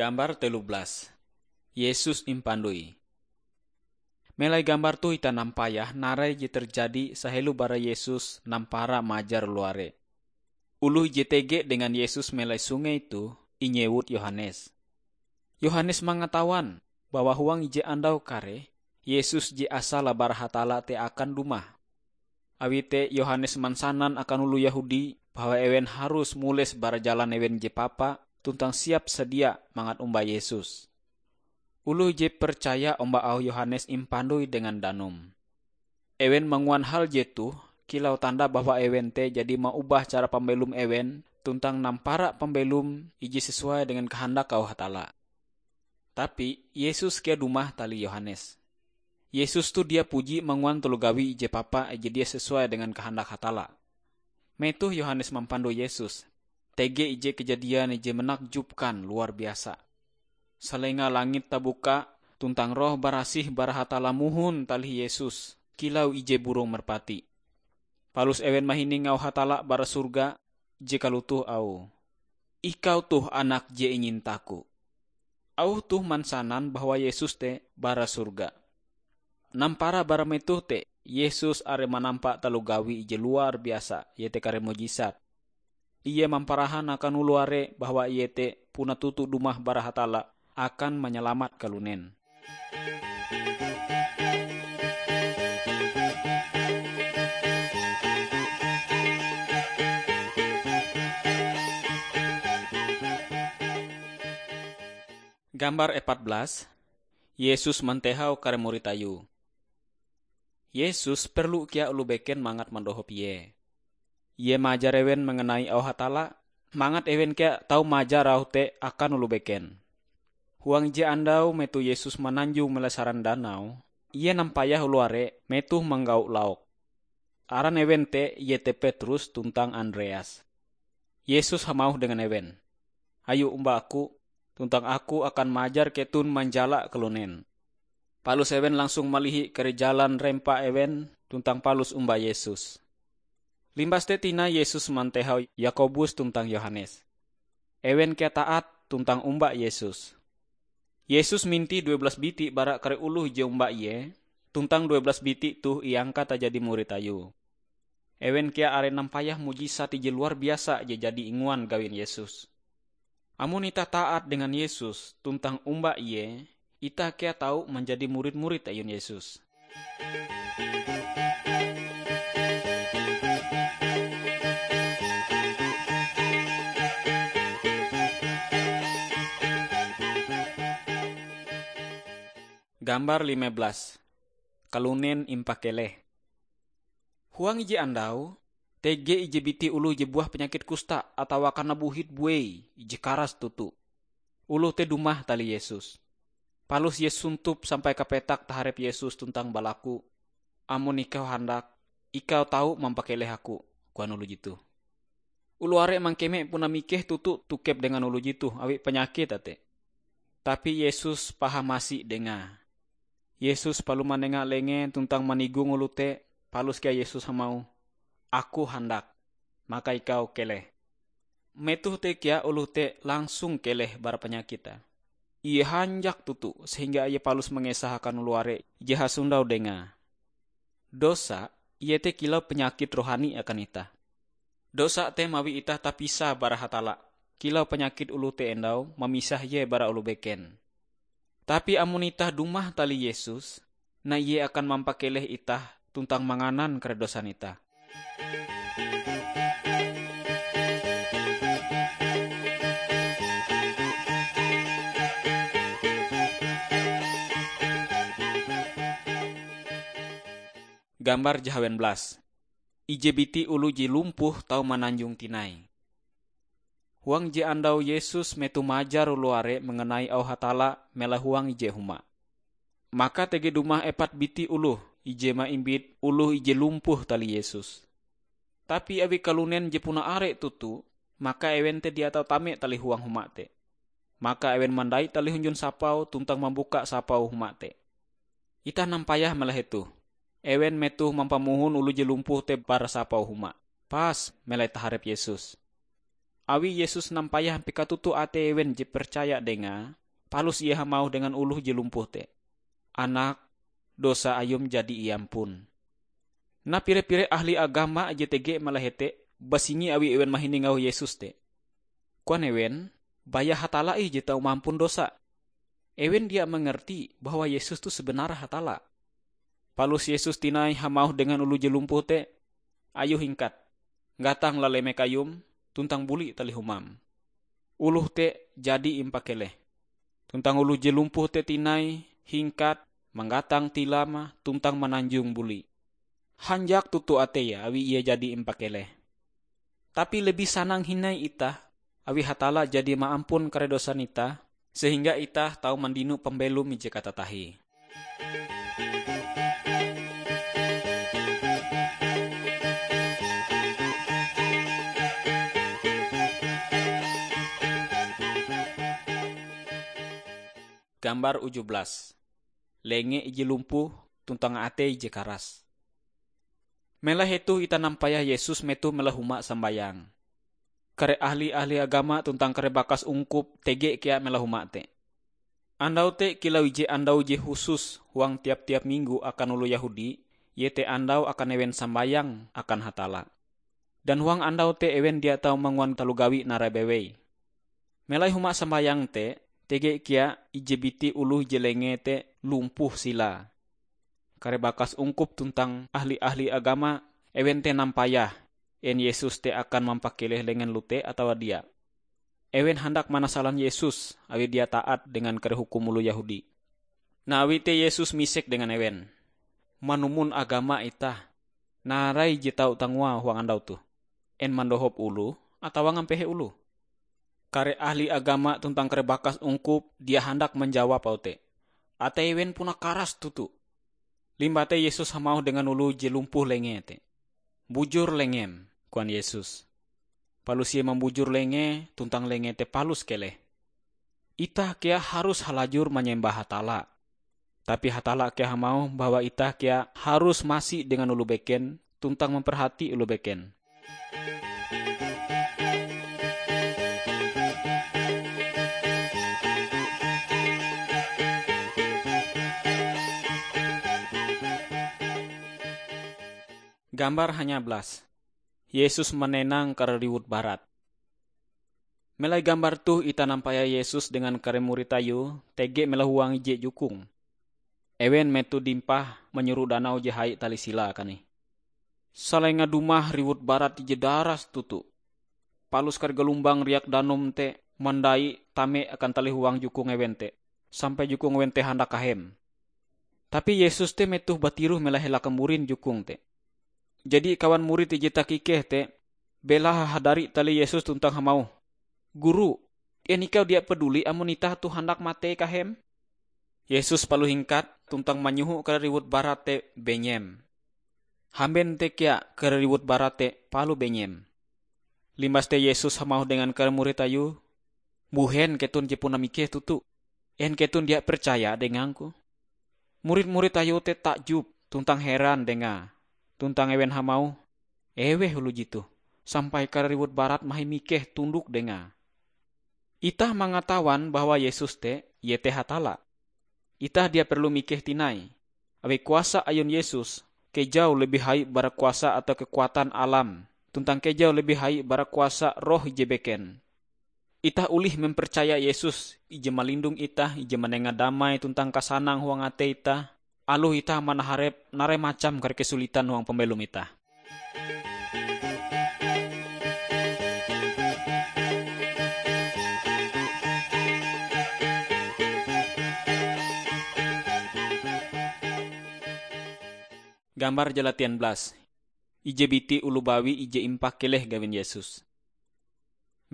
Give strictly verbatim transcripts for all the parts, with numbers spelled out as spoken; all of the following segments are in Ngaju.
Gambar telu belas. Yesus impandoi. Melai gambar toh itah nampayah narai je terjadi sahelo bara Yesus nampara majar luare. Oloh je tege dengan Yesus melai sungai toh inyewut Yohanes. Yohanes mangatawan bahwa huang ije andau kareh, Yesus je asale bara Hatalla te akan dumah. Awi te Yohanes mansanan akan oloh Yehudi bahwa ewen harus mules bara jalan ewen je papa tuntang siap sadia mangat omba Yesus. Oloh je percaya omba auh Yohanes impandoi dengan danum. Ewen manguan hal jetoh kilau tanda bahwa ewen te jadi maubah cara pambelom ewen tuntang nampara pambelom ije sesuai dengan kahandak auh Hatalla. Tapi Yesus kea dumah tali Yohanes. Yesus toh dia puji manguan taloh gawi ije papa ije dia sesuai dengan kahandak Hatalla. Metoh Yohanes mampandoi Yesus, tege ije kejadian ije menakjubkan luar biasa. Salenga langit tabuka, tuntang Roh Barasih bara Hatalla mohon talih Yesus kilau ije burong merpati. Palus ewen mahining auh Hatalla bara sorga je kalotoh auhe, "Ikau toh Anak je inyinta-Ku." Auh toh mansanan bahwa Yesus te bara sorga. Nampara bara metoh te, Yesus are manampa taloh gawi ije luar biasa, iete kare mujisat. Ie mamparahan akan oloh are bahwa Ie te puna toto dumah bara Hatalla akan manyalamat kalunen. Gambar epat belas, Yesus mantehau kare murid Ayue. Yesus perlu kea oloh beken mangat mandohop Ie. Ie maajar ewen manganai auh Hatalla, mangat ewen kea tau maajar auh te akan oloh beken. Huang ije andau metoh Yesus mananjong melai saran danau, Ie nampayah oloh are metoh manggau lauk. Aran ewen te iete Petrus tuntang Andreas. Yesus hamauh dengan ewen, "Ayo omba Aku, tuntang Aku akan maajar keton manjala kalunen." Palus ewen langsung malihi kare jalan rempa ewen tuntang palus omba Yesus. Limbas te tinai Yesus mantehau Yakobus tuntang Yohanes. Ewen kea taat tuntang omba Yesus. Yesus mintih due belas biti bara kare oloh je omba Ie, tuntang due belas biti toh iangkat jadi murid Ayue. Ewen kea are nampayah mujisat ije luar biasa je jadi inguan gawin Yesus. Amon itah taat dengan Yesus tuntang omba Ie, itah kea tau manjadi murid-murid ayun Yesus. Gambar lima belas. Kalunen impakeleh. Huang ije andau, tege ije biti oloh je buah panyakit kusta atawa kanabuhit buei ije karas toto. Oloh te dumah tali Yesus. Palus ie sontop sampai kapetak taharep Yesus tuntang balaku, "Amon Ikau handak, Ikau tau mampakeleh aku," koan oloh jetoh. Oloh are mangkeme puna mikeh toto tokep dengan oloh jetoh awi panyakite te. Tapi Yesus paham asi dengae. Yesus palus manenga lengee tuntang manigong oloh te, palus kea Yesus hamauh, "Aku handak, maka ikau keleh." Metoh te kea oloh te langsung keleh bara panyakite. Ie hanjak toto sehingga ie palus mangesah akan oloh are je hasondau dengae. Dosa, iete kilau panyakit rohani akan itah. Dosa te mawi itah tapisah bara Hatalla, kilau panyakit oloh te endau mamisah ie bara oloh beken. Tapi amon itah dumah tali Yesus, nah Ie akan mampakeleh itah tuntang manganan kare dosan itah. Gambar jahawen belas. Ije biti oloh je lumpuh tau mananjong tinai. Huang je andau Yesus metoh majar oloh are manganai auh Hatalla melae huang ije huma. Maka tege dumah epat biti oloh ije maimbit oloh ije lumpuh tali Yesus. Tapi awi kalunen je puna are toto, maka ewen te dia tau tame tali huang huma te. Maka ewen mandait tali hunjun sapau tuntang mambuka sapau huma te. Itah nampayah melae hetoh. Ewen metoh mampamohon oloh je lumpuh te bara sapau huma, pas melai taharep Yesus. awi Yesus nampayah ampie katutu atei ewen je percaya Dengae, palus Ie hamauh dengan oloh je lumpuh te, "Anak, dosa ayum jadi iampun." Nah, pire-pire ahli agama je tege malah hete basingi awi ewen mahining auh Yesus te. Koan ewen, "Baya Hatalla ih je tau mampun dosa." Ewen dia mangarti bahwa Yesus toh sebenarnya Hatalla. Palus Yesus tinai hamauh dengan oloh je lumpuh te, "Ayo hingkat, gatang lalemek ayum, tuntang buli talih humam." Oloh te jadi impakeleh. Tuntang oloh je lumpuh te tinai hingkat, manggatang tilame tuntang mananjong buli. Hanjak toto ateie awi ie jadi impakeleh. Tapi lebih sanang hindai itah, awi Hatalla jadi maampun kare dosan itah, sehingga itah tau mandino pambelom ije katatahie. Gambar uju belas. Lenge ije lumpuh tuntang atei ije karas. Melai hetoh itah nampayah Yesus metoh melai huma sambayang. Kare ahli-ahli agama tuntang kare bakas ungkup tege kea melai huma te. Andau te kilau ije andau je husus huang tiap-tiap minggo akan oloh Yehudi, iete andau akan ewen sambayang akan Hatalla. Dan huang andau te ewen dia tau manguan taloh gawi narai bewei. Melai huma sambayang te, tege kea ije biti oloh je lengee te lumpuh silae. Kare bakas ungkup tuntang ahli-ahli agama, ewen te nampayah, en Yesus te akan mampakeleh lengen lute atawa dia. Ewen handak manasalan Yesus awi dia taat dengan kare hukum oloh Yehudi. Nah, awi te Yesus misek dengan ewen, "Manumon agama itah, narai je tau tangoa huang andau toh? En mandohop oloh atawa ngampehe oloh?" Kare ahli agama tuntang kare bakas ungkup dia handak manjawab auh te. Atei ewen puna karas toto. Limbah te Yesus hamauh dengan oloh je lumpuh lengee te, "Bujur lengem," koan Yesus. Palus Ie mambujur lengee, tuntang lengee te palus keleh. Itah kea harus halajur manyembah Hatalla. Tapi Hatalla kea hamauh bahwa itah kea harus masi dengan oloh beken tuntang mamperhati oloh beken. Gambar hanya belas. Yesus manenang kare riwut barat. Melai gambar toh itah nampayah Yesus dengan kare murid Ayue tege melai huang ije jukung. Ewen metoh dimpah manyoro danau je hai tali silae kanih. Salenga dumah riwut barat ije daras toto. Palus kare galumbang riak danum te mandai tame akan tali huang jukung ewen te, sampai jukung ewen te handak kahem. Tapi Yesus te metoh batiroh melai hela kamburin jukung te. Jadi kawan murid ije takikeh te belahe hadari tali Yesus tuntang hamauh, "Guru, en ikau dia paduli amon itah toh handak matei kahem?" Yesus palus hingkat tuntang manyoho kare riwut barat te benyem. Hamben te kea kare riwut barat te palus benyem. Limbas te Yesus hamauh dengan kare murid Ayue, "Mbuhen keton je puna mikeh toto? En keton dia percaya dengang-Ku?" Murid-murid Ayue te takjub tuntang heran Dengae, tuntang ewen hamauh, "Eweh oloh jetoh, sampai kare riwut barat mahin mikeh tundok Dengae?" Itah mangatawan bahwa Yesus te, Ie te Hatalla. Itah dia perlu mikeh tinai, awi kuasa ayun Yesus kejau lebih hai bara kuasa atau kekuatan alam, tuntang kejau lebih hai bara kuasa roh ije beken. Itah olih mempercaya Yesus, ije malindong itah, ije manenga damai tuntang kasanang huang atei itah, aloh itah manaharep narai macam kare kesulitan huang pambelom itah. Gambar jalatian belas. Ije biti oloh bawi ije impakeleh gawin Yesus.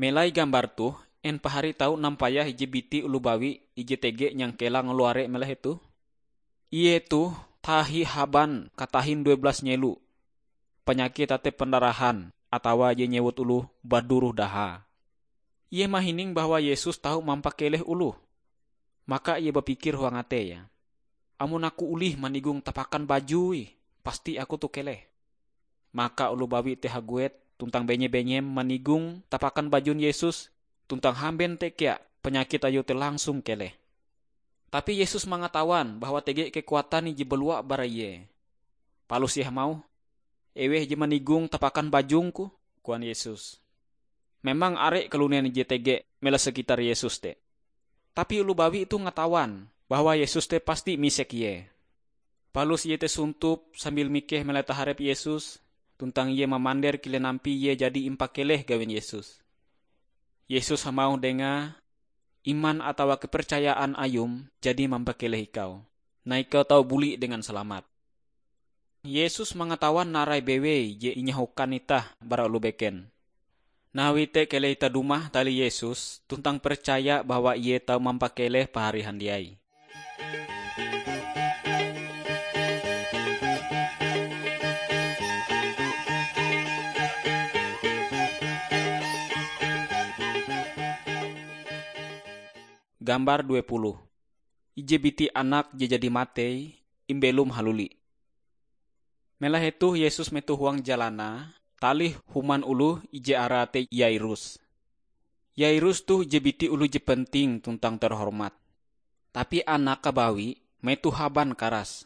Melai gambar toh, en pahari tau nampayah ije biti oloh bawi ije tege nyangkelang luare melai hetoh? Ie toh tahi haban katahin due belas nyelo, panyakit atei pendarahan, atawa je nyewut oloh baduroh daha. Ie mahining bahwa Yesus tau mampakeleh oloh. Maka ie bapikir huang ateie, "Amon aku olih manigong tapakan bajue, pasti aku toh keleh." Maka oloh bawi te haguet tuntang benye-benyem manigong tapakan bajun Yesus, tuntang hamben te kea panyakit ayue te langsung keleh. Tapi Yesus mangatawan bahwa tege kekuatan ije balua bara Ie. Palus Ie hamauh, "Eweh je manigong tapakan bajung-Ku?" koan Yesus. Memang are kalunen ije tege mela sekitar Yesus te. Tapi oloh bawi toh ngatawan bahwa Yesus te pasti misek ie. Palus ie te sontop sambil mikeh melai taharep Yesus, tuntang ie mamander kilen ampie ie jadi impakeleh gawin Yesus. Yesus hamauh dengae, "Iman atawa kepercayaan ayum jadi mampakeleh ikau. Nah ikau tau buli dengan salamat." Yesus mangatawan narai bewei je inyahokan itah bara oloh beken. Awi te keleh itah dumah talih Yesus tuntang percaya bahwa Ie tau mampakeleh pahari handiai. Gambar dua puluh. Ije biti anak je jadi matei imbelom haluli. Melahe toh Yesus metoh huang jalanae, talih human oloh ije arae te Yairus. Yairus toh ije biti oloh je penting tuntang terhormat. Tapi anake bawi metoh haban karas.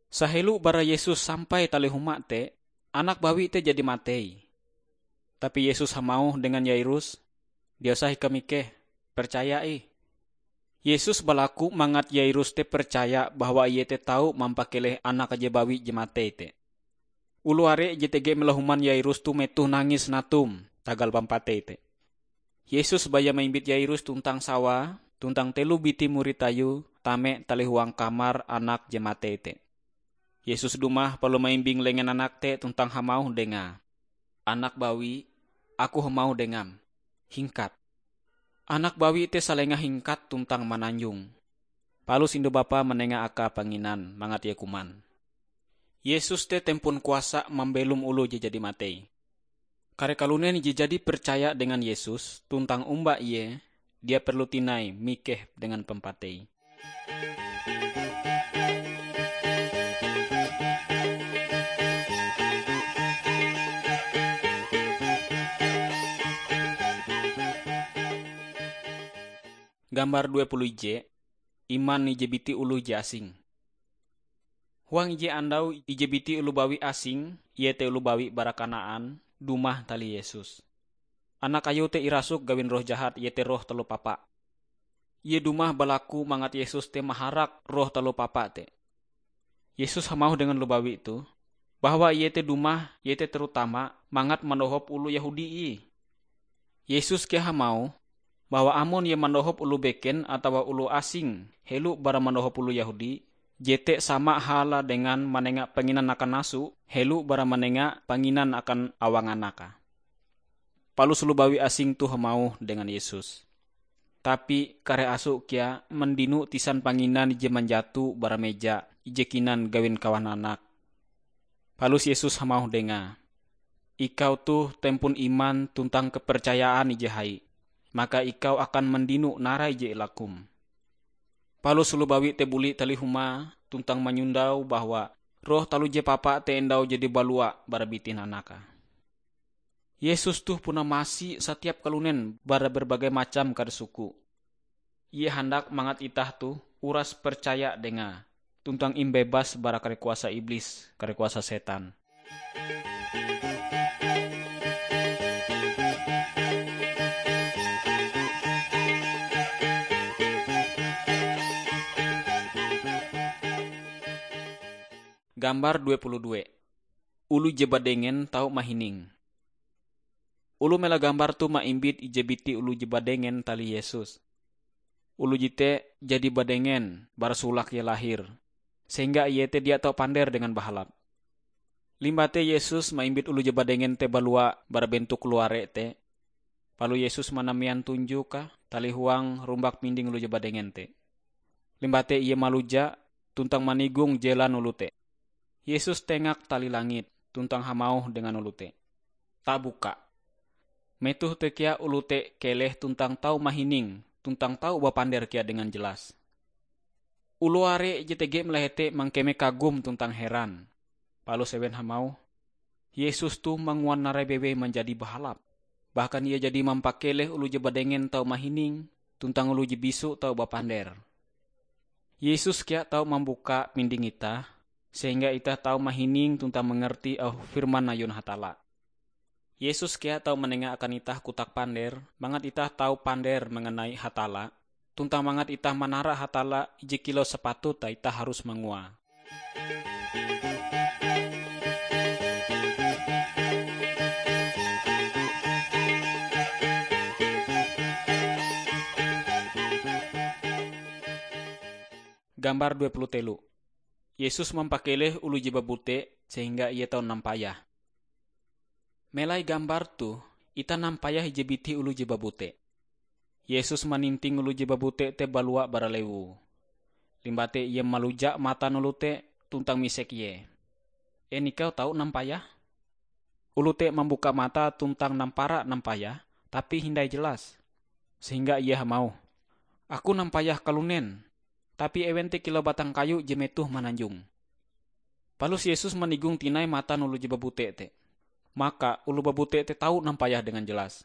Sahelo bara Yesus sampai talih huma te, anak bawi te jadi matei. Tapi Yesus hamauh dengan Yairus, "Dia usah ikau mikeh, percaya ih." Yesus balaku mangat Yairus te percaya bahwa ie te tau mampakeleh anak je bawi je matei te. Oloh are je tege melahuman Yairus toh metoh nangis natum tagal pampatei te. Yesus baya maimbit Yairus tuntang sawae, tuntang telo biti murid Ayue tame talih huang kamar anak je matei te. Yesus dumah palus maimbing lengen anak te tuntang hamauh dengae, "Anak bawi, Aku hamauh dengam, hingkat." Anak bawi te salenga hingkat tuntang mananjong. Palus indu bapae manenga akae panginan mangat ie kuman. Yesus te tempon kuasa mambelom oloh je jadi matei. Kare kalunen je jadi percaya dengan Yesus tuntang omba Ie, dia perlu tinai mikeh dengan pampatei. Gambar dua puluh ije, iman ije biti oloh je asing. Huang ije andau ije biti oloh bawi asing, iete oloh bawi bara Kanaan, dumah talih Yesus. Anak ayue te irasuk gawin roh jahat, iete roh taloh papa. Ie dumah balaku mangat Yesus te maharak roh taloh papa te. Yesus hamauh dengan oloh bawi toh, bahwa Ie te dumah, iete terutama mangat mandohop oloh Yehudi ih. Yesus kea hamauh bahwa amon Ie mandohop oloh beken atawa oloh asing helo bara mandohop oloh Yehudi, jete sama halae dengan manenga panginan akan aso helo bara manenga panginan akan awang anake. Palus oloh bawi asing toh hamauh dengan Yesus, "Tapi kare aso kea mandino tisan panginan ije manjato bara meja ije kinan gawin kawan anak." Palus Yesus hamauh dengae, "Ikau toh tempon iman tuntang kapercayaan ije hai, maka ikau akan mandino narai je ilakum." Palus oloh bawi te buli talih huma tuntang manyondau bahwa roh taloh je papa te endau jadi balua bara bitin anake. Yesus toh puna masi satiap kalunen bara berbagai macam kare suku. Ie handak mangat itah toh uras percaya dengae, tuntang imbebas bara kare kuasa iblis, kare kuasa setan. Gambar dua puluh dua. Oloh je badengen tau mahining. Oloh mela gambar toh maimbit ije biti oloh je badengen talih Yesus. Oloh jete jadi badengen bara solake ie lahir, sehingga ie te dia tau pander dengan bahalap. Limbah te Yesus maimbit oloh je badengen te balua bara bentok luare te, palus Yesus manamean tunjoke talih huang rumbak pinding oloh je badengen te. Limbah te Ie maluja tuntang manigong jelan oloh te. Yesus tengak tali langit tuntang hamauh dengan oloh te, "Tabuka." Metoh te kea oloh te keleh tuntang tau mahining tuntang tau bapander kea dengan jelas. Oloh are je tege melahe te mangkeme kagum tuntang heran. Palus ewen hamauh, Yesus toh manguan narai bewei manjadi bahalap. Bahkan Ie jadi mampakeleh oloh je badengen tau mahining, tuntang oloh je bisu tau bapander. Yesus kea tau mambuka pinding itah, sehingga itah tau mahining tuntang mangarti auh firman ayun Hatalla. Yesus kea tau manenga akan itah kotak pander, mangat itah tau pander manganai Hatalla, tuntang mangat itah manara Hatalla ije kilau sapatute itah harus manguae. Gambar dua puluh telu. Yesus mampakeleh oloh je babute sehingga ie tau nampayah. Melai gambar toh, itah nampayah ije biti oloh je babute. Yesus maninting oloh je babute te balua bara lewu. Limbah te Ie maluja matan oloh te tuntang misek ie, "En ikau tau nampayah?" Oloh te mambuka matae tuntang nampara nampayah, tapi hindai jelas. Sehingga ie hamauh, "Aku nampayah kalunen." Tapi ewen te kilau batang kayu je metohe mananjong. Palus Yesus manigong tinai matan oloh je babute te. Maka oloh babute te tau nampayah dengan jelas.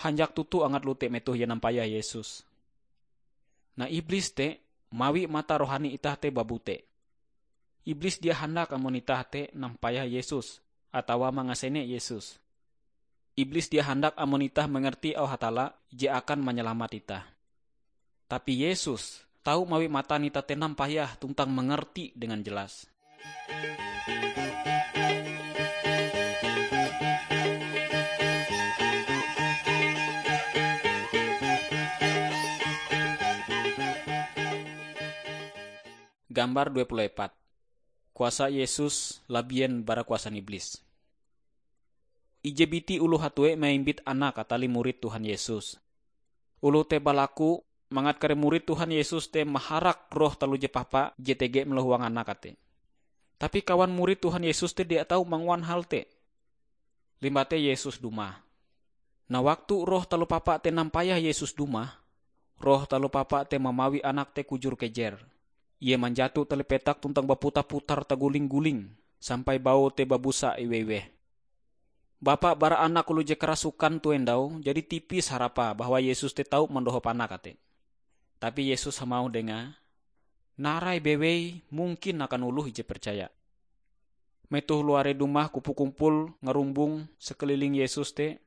Hanjak toto angat oloh te metoh ie nampayah Yesus. Nah, Iblis te mawi mata rohani itah te babute. Iblis dia handak amon itah te nampayah Yesus atawa mangasene Yesus. Iblis dia handak amon itah mangarti auh Hatalla je akan manyalamat itah. Tapi Yesus tau mawi matan itah te nampayah tuntang mangarti dengan jelas. Gambar dua puluh empat. Kuasa Yesus labien bara kuasan Iblis. Ije biti oloh hatue maimbit anak katalih murid Tuhan Yesus. Oloh te balaku mangat kare murid Tuhan Yesus te maharak roh taloh je papa je tege meloh huang anak te. Tapi kawan murid Tuhan Yesus te dia tau manguan hal te. Limbah te Yesus dumah. Nah, waktu roh taloh papa te nampayah Yesus dumah, roh taloh papa te mamawi anak te kujur kejer. Ie manjato tali petak tuntang baputar-putar taguling-guling sampai baue te babusa iwe-iweh. Bapa bara anak oloh je karasukan tu endau jadi tipis harapae bahwa Yesus te tau mandohop anak te. Tapi Yesus hamauh dengae, "Narai bewei mungkin akan oloh ije percaya." Metoh luare dumah kumpul-kumpul ngarumbong sekeliling Yesus te,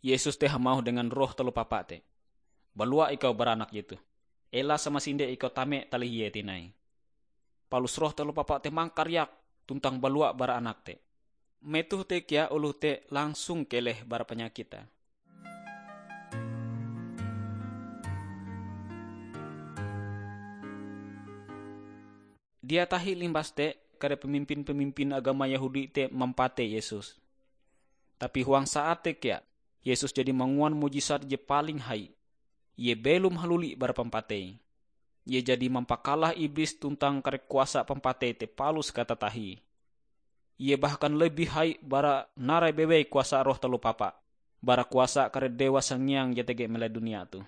Yesus te hamauh dengan roh taloh papa te, "Balua ikau bara anak jetoh. Ela samasinde ikau tame talih ie tinai." Palus roh taloh papa te mangkariak tuntang balua bara anak te. Metoh te kea oloh te langsung keleh bara panyakite. Dia tahi limbas te, kare pemimpin-pemimpin agama Yehudi te mampatei Yesus. Tapi huang saat te kea, Yesus jadi manguan mujisat je paling hai. Ie belom haluli bara pampatei. Ie jadi mampakalah Iblis tuntang kare kuasa pampatei te palus katatahie. Ie bahkan lebih hai bara narai bewei kuasa roh taloh papa, bara kuasa kare dewa sangiang je tege melai dunia toh.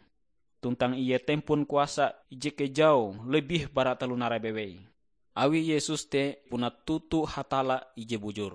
Tuntang ie tempon kuasa ije kejau lebih bara taloh narai bewei. Awi Yesus te puna toto Hatalla ije bujur.